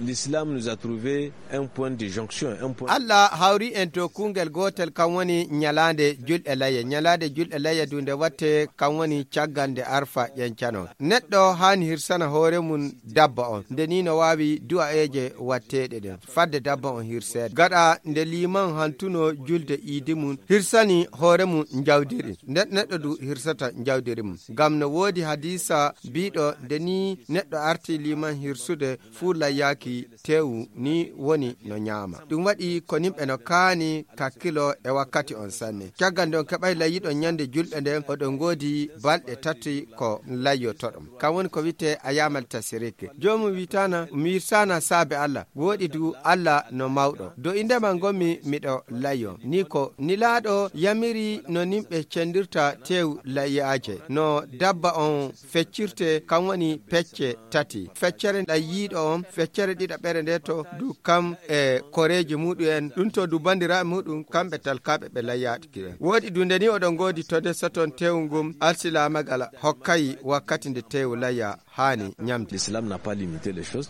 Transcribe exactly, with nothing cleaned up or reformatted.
L'islam nous a trouvé un point de jonction, un point. Allah hawri en to kungel gotel, kan woni ñalaande julɗe layya. Ñalaande julɗe layya du nde watte, kan woni caggal nde Arfa ƴencanon. Neɗɗo haani hirsana hoore mum dabba on. Nde ni no waawi du'a'eeje watteeɗe ɗen. Fadde dabba on hirseede. Gaɗa nde liman hantuno julde iidi mum, hirsani hoore mum njawdiri. Nden neɗɗo du hirsata njawdiri mum. Ngam no woodi hadiisa biiɗo nde ni neɗɗo arti liman hirsude fuu layyaaki teewu ni woni no ñaama. Ɗum waɗi ko nimɓe no kaani kakkilo e wakkati on sanne. Caggal nde on keɓay layyiɗon ñande julɗe nden, oɗon ngoodi balɗe tati ko layyotoɗon. Kan woni ko wi'etee ayamal tasirik. Joomum wi'itaana, mi hirsana saabe Allah. Wooɗi du Allah no mawɗo. Do indema ngonmi miɗo layyo. Ni ko Nilaaɗo yamiri no nimɓe cendirta teewu layyaaje. No dabba on feccirte, kan woni pecce tati. Feccere layyiiɗo on, feccere ɗiɗaɓere nde to du kam e koreeji muɗum en. Ɗum to du bandiraaɓe muɗum, kamɓe talkaaɓe ɓe layyaaɗo. Wooɗi du nde ni oɗon ngoodi to nde soton teewu ngun alsilaamagal hokkay wakkati nde teewu layya haani ñamde. L'islam n'a pas limité les choses.